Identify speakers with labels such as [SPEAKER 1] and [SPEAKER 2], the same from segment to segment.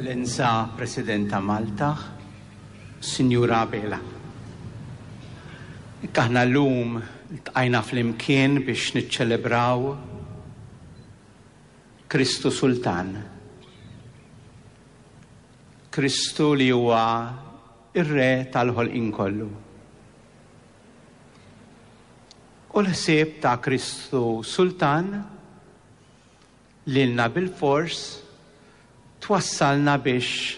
[SPEAKER 1] Eċċellenza President ta' Malta, Sinjura Abela. Hekk aħna llum ltqajna flimkien biex niċċelebraw Kristu Sultan. Kristu li huwa r-Re tal-ħolqien kollu. U l-ħsieb ta' Kristu Sultan lilna bilfors twassalna biex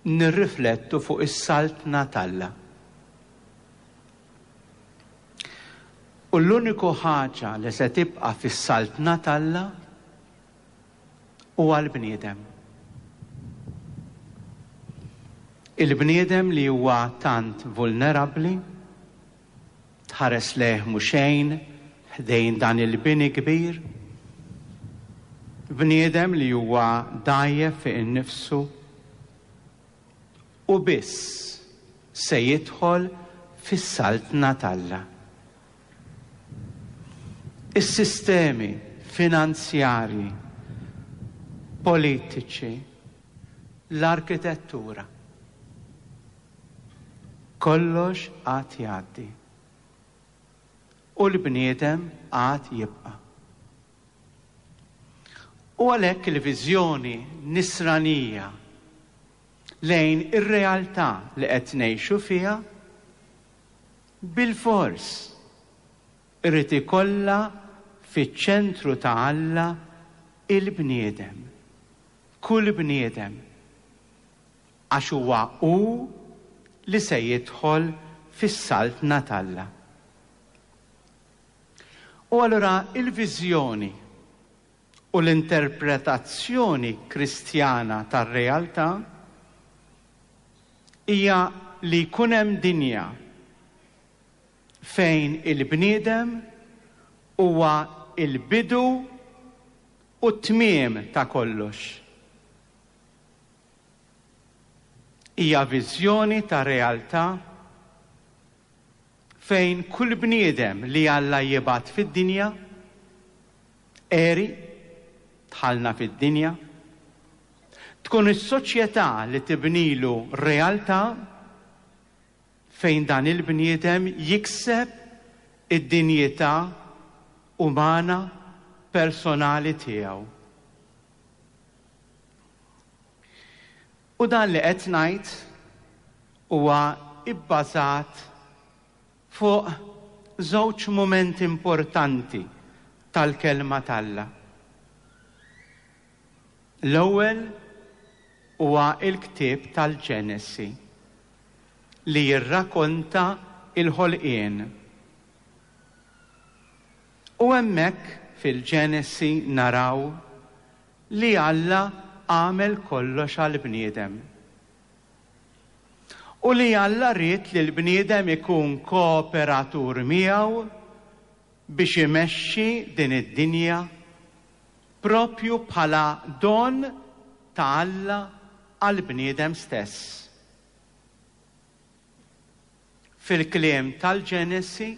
[SPEAKER 1] nirriflettu fuq is-Saltna t'Alla. U l-uniku ħaġa li se tibqa' fis-Saltna t'Alla huwa l-bniedem. Il-bniedem li huwa tant vulnerabbli, Tħares lejh mhu xejn ħdejn dan il-bini kbir. Bniedem li huwa dgħajjef fih innifsu u biss se jidħol fis-Saltna t'Alla. Is-sistemi finanzjarji, politiċi, l-arkitettura. Kollox għad jgħaddi. U l-bniedem għad jibqa'. U għalhekk il-viżjoni nisranija lejn ir-realtà li qed ngħixu fiha bilfors irid ikollha fiċ-ċentru ta' Alla il-bniedem, kull bniedem. Għax huwa hu li se jidħol fis-Saltna t'Alla. U allura l-viżjoni u l-interpretazzjoni Kristjana tar-realtà hija li jkun hemm dinja fejn il-bniedem huwa l-bidu u t-tmiem ta' kollox. Hija viżjoni ta' realtà fejn kull bniedem li Alla jibgħat fid-dinja, għeri, dħalna fid-dinja, tkun is-soċjetà li tibnilu realtà fejn dan il-bniedem jikseb id-dinjità umana personali tiegħu. U dan li qed ngħid huwa bbażat fuq żewġ mumenti importanti tal-Kelma t'Alla. L-ewwel huwa l-ktieb tal-Ġenesi li jirrakonta l-ħolqien. U hemmhekk fil-Ġenesi naraw li Alla għamel kollox għall-bniedem. U li Alla ried li l-bniedem ikun kooperatur miegħu biex imexxi din id-dinja proprju bħala don ta' Alla għall-bniedem stess. Fil-kliem tal-Ġenesi,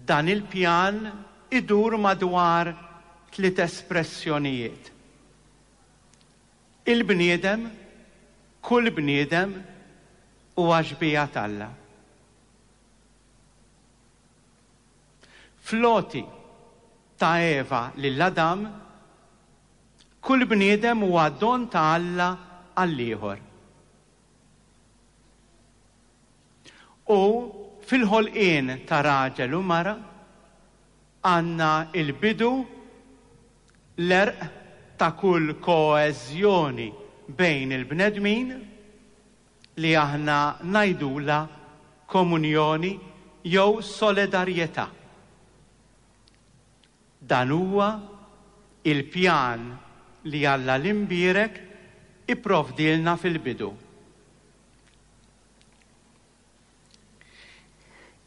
[SPEAKER 1] dan il-pjan idur madwar tliet espressjonijiet. Il-bniedem, kull bniedem, huwa xbieha t'Alla. Fl-għoti ta' Eva lil Adam, kull bniedem huwa don ta' Alla għall-ieħor. U fil-ħolqien ta' raġel u mara għandna l-bidu, l-għerq ta' kull koeżjoni bejn il-bnedmin li aħna ngħidulha komunjoni jew soledarjetà. Dan huwa l-pjan li Alla l-Imbierek ipprovdielna fil-bidu.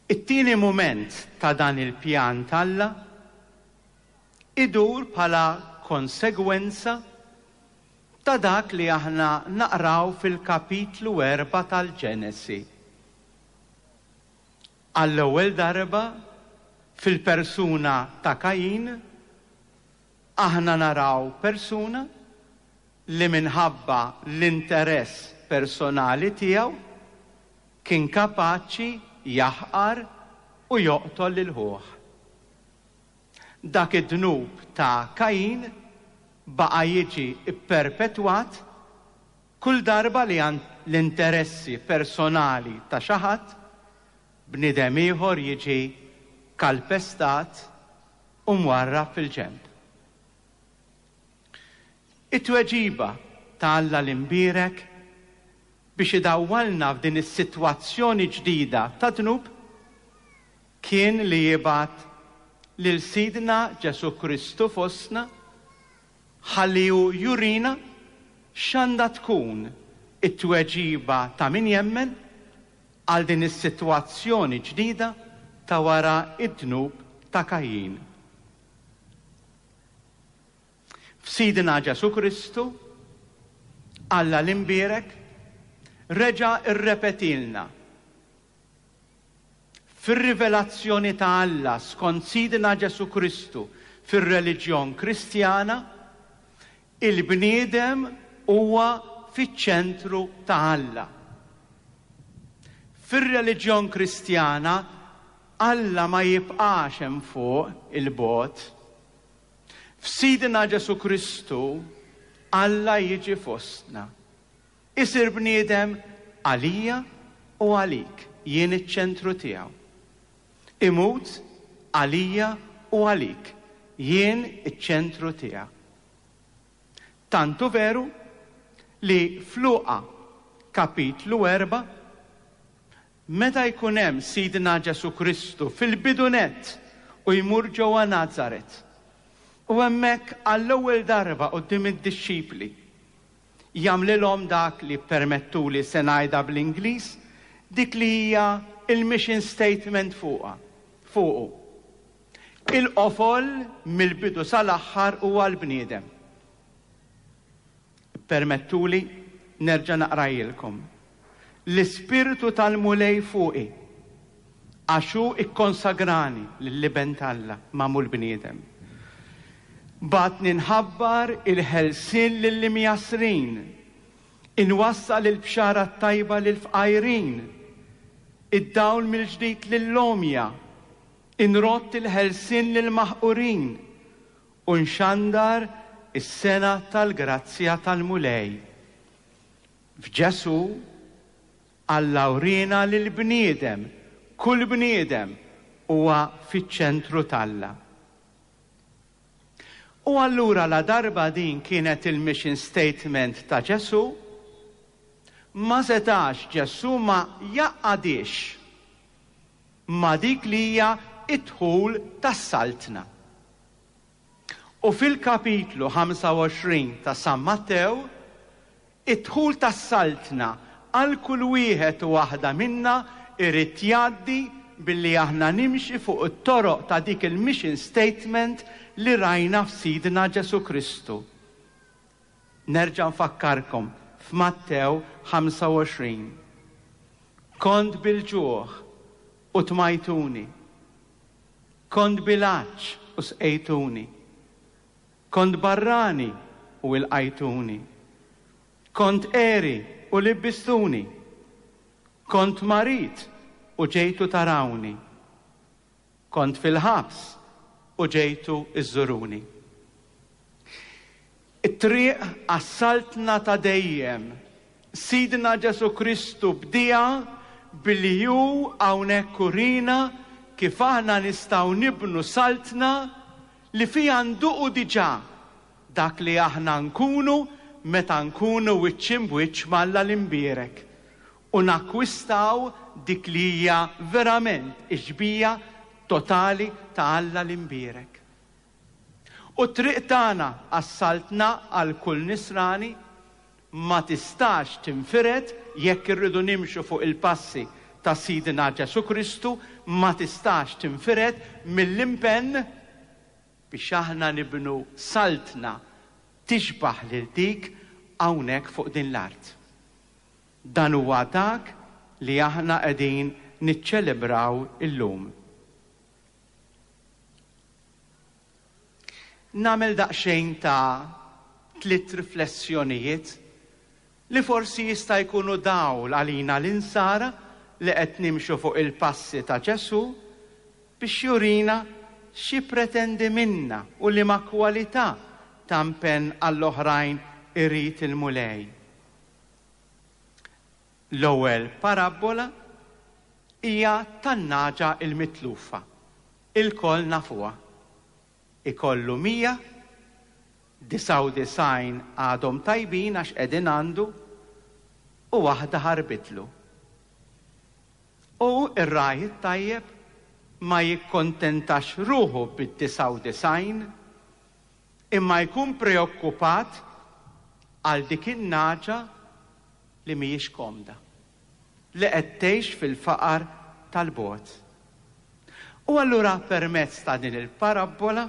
[SPEAKER 1] It-tieni mument ta' dan il-pjan t'Alla idur bħala konsegwenza ta' dak li aħna naqraw fil-kapitlu erbgħa tal-Ġenesi. Għall-ewwel darba, fil-persuna ta' Kajin, aħna naraw persuna. li minħabba l-interess personali tiegħu kien kapaċi jaħqar u joqtol lil ħuh. Dak id-dnub ta' Kajin baqa' jiġi pperpetwat kull darba li għand l-interessi personali ta' xi ħadd, bniedem ieħor jiġi kalpestat u mwarrab fil-ġenb. It-tweġiba ta' Alla l-Imbierek biex idawwalna f'din is-sitwazzjoni ġdida ta' dnub kien li jibgħat lil Sidna Ġesù Kristu fostna ħalli hu jurina x'għandha tkun it-tweġiba ta' min jemmen għal din is-sitwazzjoni ġdida ta' wara d-dnub ta' Kajjin. F'Sidna Ġesù Kristu, Alla l-Imbierek reġa' rrepetielna fir-rivelazzjoni ta' Alla skont Sidna Ġesù Kristu fir-reliġjon Kristjana, il-bniedem huwa fiċ-ċentru ta' Alla. Fir-reliġjon Kristjana, Alla ma jibqax hemm fuq 'il bogħod. F'Sidna Ġesù Kristu, Alla jiġi fostna. Isir bniedem għalija u għalik, jien iċ-ċentru tiegħu. Imut għalija u għalik, jien iċ-ċentru tiegħek. Tant hu veru li f'Luqa kapitlu 4, Meta jkun hemm Sidna Ġesù Kristu fil-bidu nett u jmur ġewwa Nazaret, u hemmhekk għall-ewwel darba quddiem id-dixxipli, jagħmlilhom dak li, ppermettuli se ngħidha bl-Ingliż, dik li hija l-mission statement fuqha, fuqu. Il-qofol mill-bidu sal-aħħar huwa l-bniedem. Ippermettuli nerġa' naqrajilkom. L-Ispirtu tal-Mulej fuqi, għax hu kkonsagrani lill-Iben t'Alla, magħmul bniedem. Bagħatni nħabbar il-ħelsien lill-imjassrin, inwassal il-bxara t-tajba lill-fqajrin, id-dawl mill-ġdid lill-għomja, inrodd il-ħelsien lill-maħqurin, U nxandar is-sena tal-grazzja tal-Mulej. F'Ġesù, Alla wriena li l-bniedem, kull bniedem, huwa fiċ-ċentru t'Alla. U allura ladarba din kienet il-mission statement ta' Ġesù, ma setax Ġesù ma jgħaqqadhiex ma' dik li hija d-dħul tas-Saltna. U fil-kapitlu 25 ta' San Mattew, id-dħul tas-Saltna għal kull wieħed u waħda minna jrid jgħaddi billi aħna nimxi fuq it-toroq ta' dik il-mission statement li rajna f'Sidna Ġesù Kristu. Nerġa' nfakkarkom f'Mattew 25. Kont bil-ġuħ u tmajtuni. Kont bil-għatx u sqejtuni. Kont barrani u ilqajtuni. Kont għeri u libbistuni. Kont marid u ġejtu tarawni. Kont fil-ħabs u ġejtu żżuruni. It-triq għas-Saltna ta' dejjem, Sidna Ġesù Kristu bdieha billi hu hawnhekk urina kif aħna nistgħu nibnu saltna li fiha nduqu diġà dak li aħna nkunu meta nkunu wiċċ imb'wiċċ m'Alla l-Imbierek u nakkwistaw dik li hija verament ix-xbieha totali ta' Alla l-Imbierek. U t-triq tagħna għas-Saltna għal kull Nisrani ma tistax tinfired jekk irridu nimxu fuq il-passi ta' Sidna Ġesù Kristu, ma tistax tinfired mill-impenn biex aħna nibnu Saltna tixbah lil dik hawnhekk fuq din l-art. Dan huwa dak li aħna qegħdin niċċelebraw illum. Nagħmel daqsxejn ta' Tlitt riflessjonijiet li forsi jista' jkunu dawl għalina l-Insara li qed nimxu fuq il-passi ta' Ġesù biex jurina x'jippretendi minna u liema kwalità ta' mpenn għall-oħrajn irid il-Mulej. L-ewwel parabbola hija tan-nagħġa l-mitlufa. Ilkoll nafuha. Ikollu 100, 99 għadhom tajbin għax qegħdin għandu, u waħda ħarbitlu. U r-ragħaj it-tajjeb ma jikkontentax ruħu bid-99, imma jkun preokkupat għal dik in-nagħġa li mhijiex komda, li qed tgħix fil-faqar tal-bogħod. U allura permezz ta' din il-parabbola,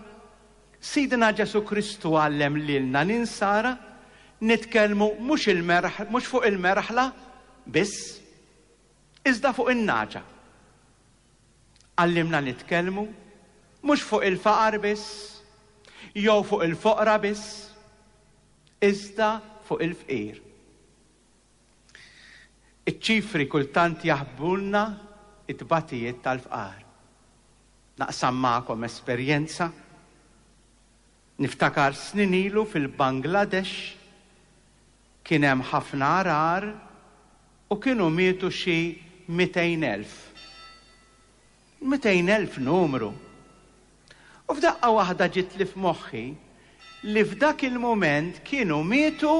[SPEAKER 1] Sidna Ġesù Kristu għallem lilna l-Insara nitkellmu mhux il-merħ mhux fuq il-merħla biss, iżda fuq in-nagħġa. Għallimna nitkellmu mhux fuq il-faqar biss, jew fuq il-foqra biss, iżda fuq il-fqir. Iċ-ċifri kultant jaħbulna t-tbatijiet tal-fqar. Naqsam magħkom esperjenza. Niftakar snin ilu fil-Bangladesh kien hemm ħafna għargħar u kienu mietu xi 200,000. 200,000 numru! U f'daqqa waħda ġietli f'moħħi li f'dak il-mument kienu mietu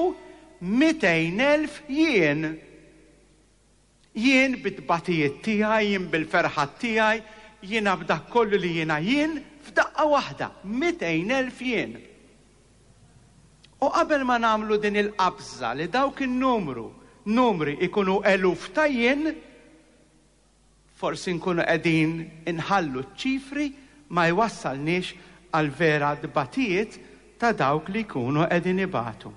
[SPEAKER 1] 200,000 jien. Jien bit-tbatijiet tiegħi, jien bil-ferħat tiegħi, jiena b'dak kollu li jiena jien, f'daqqa waħda, 200,000 jien. U qabel ma nagħmlu din il-qabża li dawk in-numru, numri ikunu eluf ta' jien, Forsi nkunu qegħdin inħallu ċ-ċifri ma jwassalniex għall-vera tbatijiet ta' dawk li jkunu qegħdin ibatu.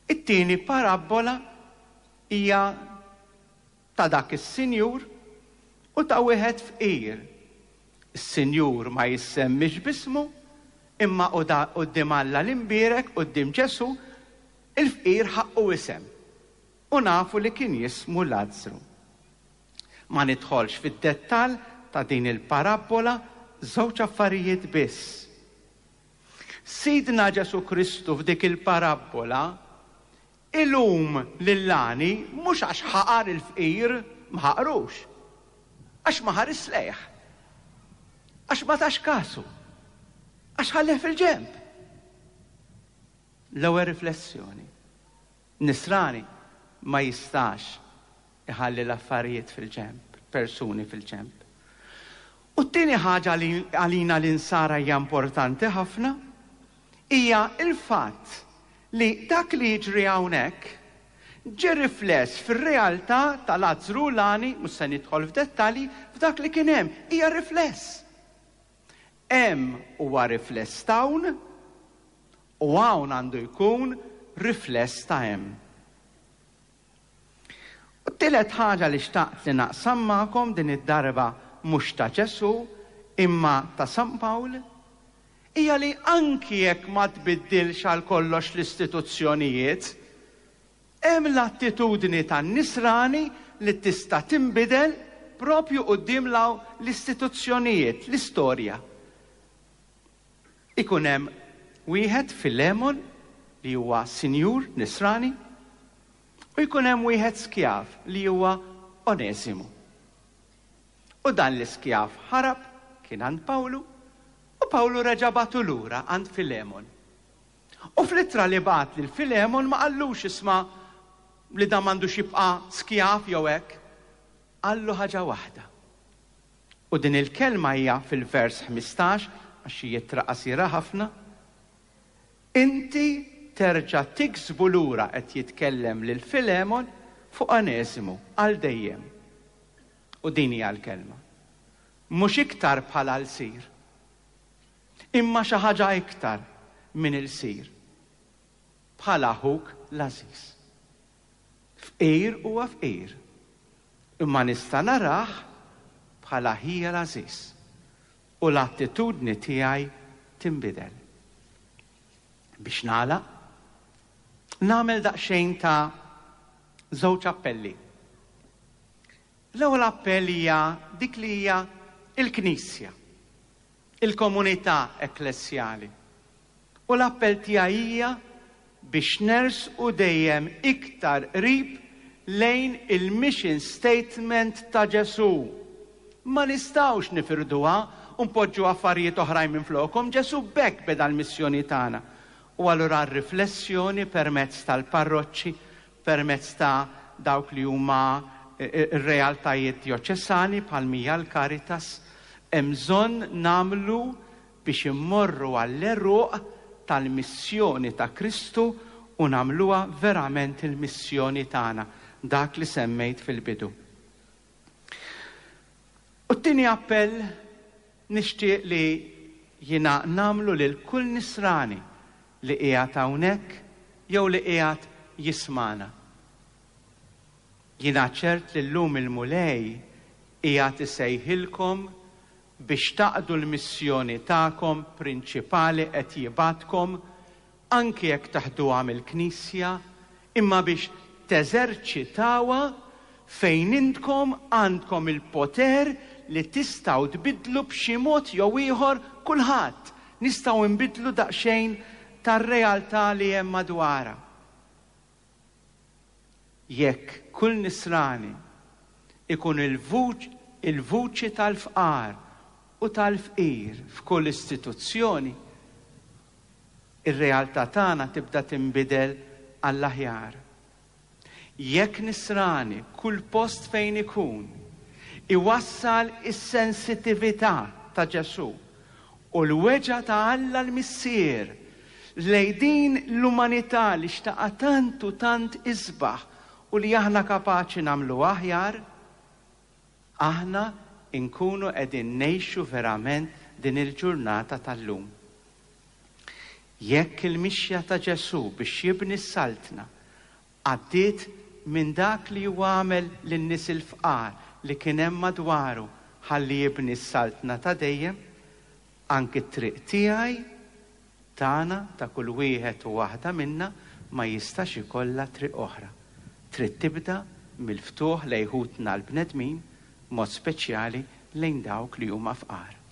[SPEAKER 1] It-tieni parabbola hija ta' dak is-sinjur u ta' wieħed fqir. Is-sinjur ma jissemmix b'ismu, imma quddiem Alla l-Imbierek, quddiem Ġesù, il-fqir ħaqqu isem. U nafu li kien jismu Lazzru. Ma nidħolx fid-dettall ta' din il-parabbola, żewġ affarijiet biss. Sidna Ġesù Kristu f'dik il-parabbola ilum lill-għani mhux għax ħaqar il-fqir, ma ħaqrux, għax ma ħarisx lejh, għax ma tax kasu, għax ħallih fil-ġenb. L-ewwel riflessjoni. Nisrani ma jistax iħalli l-affarijiet fil-ġenb, persuni fil-ġenb. U t-tieni ħaġa li għalina l-Insara hija importanti ħafna hija l-fatt li dak li jiġri hawnhekk ġie rifless fir-realtà ta' Lazzru u l-għani, mhux se nidħol f'dettalji, f'dak li kien hemm, hija rifless. Hemm huwa rifless t'hawn, U hawn għandu jkun rifless ta' hemm. U t-tielet ħaġa li xtaqt li naqsam magħkom din id-darba mhux ta' Ġesù imma ta' San Pawl hija li anki jekk ma tbiddilx għal kollox l-istituzzjonijiet, hemm l-attitudni tan-Nisrani li tista' tinbidel propju quddiem l-istituzzjonijiet, l-istorja. Ikun hemm wieħed Filemon li huwa sinjur Nisrani u jkun hemm wieħed skjav li huwa Oneżimu. U dan l-iskjav ħarab, kien għand Pawlu, u Pawlu reġa' bagħtu lura għand Filemon. U fl-ittra li bagħat lil Filemon ma qallux isma' li dan m'għandux jibqa' skjav jew hekk. Qallu ħaġa waħda. U din il-kelma hija fil-vers 15, għax hi ittra qasira ħafna, Inti terġa' tiksbu lura qed jitkellem lil Filemon fuq Oneżimu għal dejjem. U din hija l-kelma. Mhux iktar bħala lsir, imma xi ħaġa iktar minn ilsir, bħala ħuk l-għażiż. Fqir huwa fqir, imma nista' narah bħala ħija l-għażiż u l-attitudni tiegħi tinbidel. Biex nagħlaq, nagħmel daqsxejn ta' żewġ appelli. L-ewwel appell hija dik li hija l-Knisja, il-komunità ekklesjali. U l-appell tiegħi hija biex nersqu dejjem iktar qrib lejn il-mission statement ta' Ġesù. Ma nistgħux nifirduha u npoġġu affarijiet oħrajn minflokhom, Ġesù b'hekk beda l-missjoni tagħna. U allura r-riflessjoni permezz tal-parroċċi, permezz ta' dawk li huma r-realtajiet djoċesani bħal m'hija l-Caritas, hemm bżonn nagħmlu biex immorru għall-għeruq tal-missjoni ta' Kristu u nagħmluha verament il-missjoni tagħna, dak li semmejt fil-bidu. U t-tieni appell nixtieq li jiena nagħmlu lil kull Nisrani li qiegħed hawnhekk jew li qiegħed jismagħna. Jiena ċert li llum il-Mulej qiegħed isejħilkom biex taqdu l-missjoni tagħkom prinċipali qed jibgħatkom, anki jekk taħduha mill-Knisja, imma biex teżerċitawha fejn intkom għandkom il-poter li tistgħu tbiddlu b'xi mod jew ieħor kulħadd, nistgħu nbiddlu daqsxejn tar-realtà li hemm madwara. Jekk kull Nisrani ikun il-vuċi tal-fqar u tal-fqir f'kull istituzzjoni, ir-realtà tagħna tibda tinbidel għall-aħjar. Jekk Nisrani kull post fejn ikun iwassal is-sensitività ta' Ġesù u l-weġgħa ta' Alla l-Missier lejn din l-umanità li xtaqha tant u tant isbaħ u li aħna kapaċi nagħmluha aħjar, aħna nkunu qegħdin ngħixu verament din il-ġurnata tal-lum. Jekk il-mixja ta' Ġesù biex jibni s-Saltna għaddiet minn dak li huwa għamel lin-nies il-fqar li kien hemm madwaru ħalli jibni s-Saltna ta' dejjem, anki t-triq tiegħi, tagħna, ta' kull wieħed u waħda minna ma jistax ikollha triq oħra. Trid tibda mill-ftuħ lejn ħutna l-bnedmin, b'mod speċjali lejn dawk li huma fqar.